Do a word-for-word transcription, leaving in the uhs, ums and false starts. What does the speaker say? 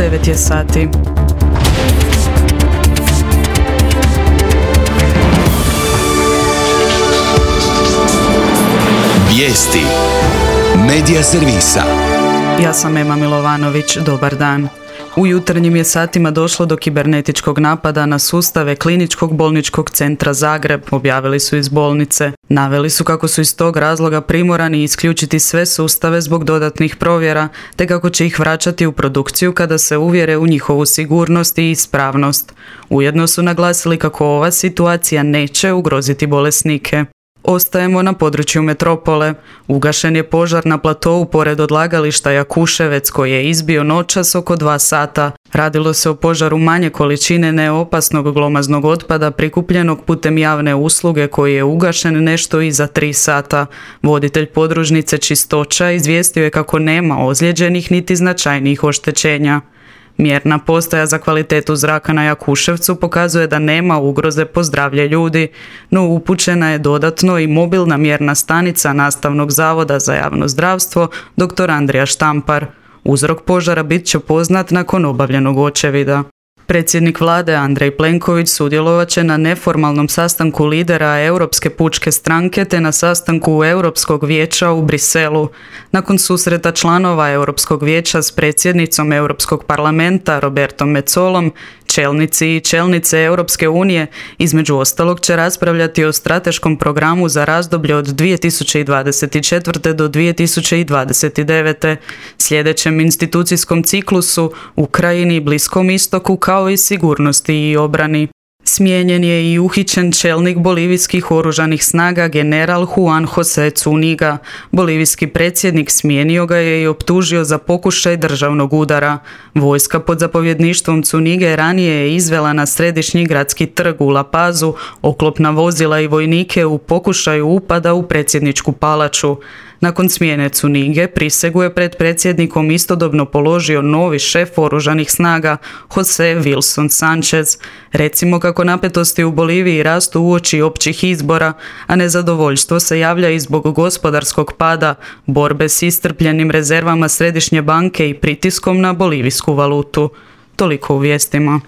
devet je sati. Vijesti Medija servisa. Ja sam Ema Milovanović, dobar dan. U jutarnjim je satima došlo do kibernetičkog napada na sustave Kliničkog bolničkog centra Zagreb, objavili su iz bolnice. Naveli su kako su iz tog razloga primorani isključiti sve sustave zbog dodatnih provjera, te kako će ih vraćati u produkciju kada se uvjere u njihovu sigurnost i ispravnost. Ujedno su naglasili kako ova situacija neće ugroziti bolesnike. Ostajemo na području metropole. Ugašen je požar na platovu pored odlagališta Jakuševec koji je izbio noćas oko dva sata. Radilo se o požaru manje količine neopasnog glomaznog otpada prikupljenog putem javne usluge koji je ugašen nešto iza tri sata. Voditelj podružnice Čistoća izvijestio je kako nema ozlijeđenih niti značajnijih oštećenja. Mjerna postaja za kvalitetu zraka na Jakuševcu pokazuje da nema ugroze po zdravlje ljudi, no upućena je dodatno i mobilna mjerna stanica Nastavnog zavoda za javno zdravstvo dr. Andrija Štampar. Uzrok požara bit će poznat nakon obavljenog očevida. Predsjednik vlade Andrej Plenković sudjelovat će na neformalnom sastanku lidera Europske pučke stranke te na sastanku Europskog vijeća u Briselu. Nakon susreta članova Europskog vijeća s predsjednicom Europskog parlamenta Robertom Metsolom, čelnici i čelnice Europske unije između ostalog će raspravljati o strateškom programu za razdoblje od dvije tisuće dvadeset četvrte. do dvije tisuće dvadeset devete. sljedećem institucijskom ciklusu, Ukrajini, Bliskom istoku kao i sigurnosti i obrani. Smijenjen je i uhićen čelnik bolivijskih oružanih snaga general Juan José Zuniga. Bolivijski predsjednik smijenio ga je i optužio za pokušaj državnog udara. Vojska pod zapovjedništvom Zunige ranije je izvela na središnji gradski trg u La Pazu oklopna vozila i vojnike u pokušaju upada u predsjedničku palaču. Nakon smjene Zunige prisegu je pred predsjednikom istodobno položio novi šef oružanih snaga José Wilson Sanchez. Recimo kako napetosti u Boliviji rastu uoči općih izbora, a nezadovoljstvo se javlja i zbog gospodarskog pada, borbe s iscrpljenim rezervama središnje banke i pritiskom na bolivijsku valutu. Toliko u vijestima.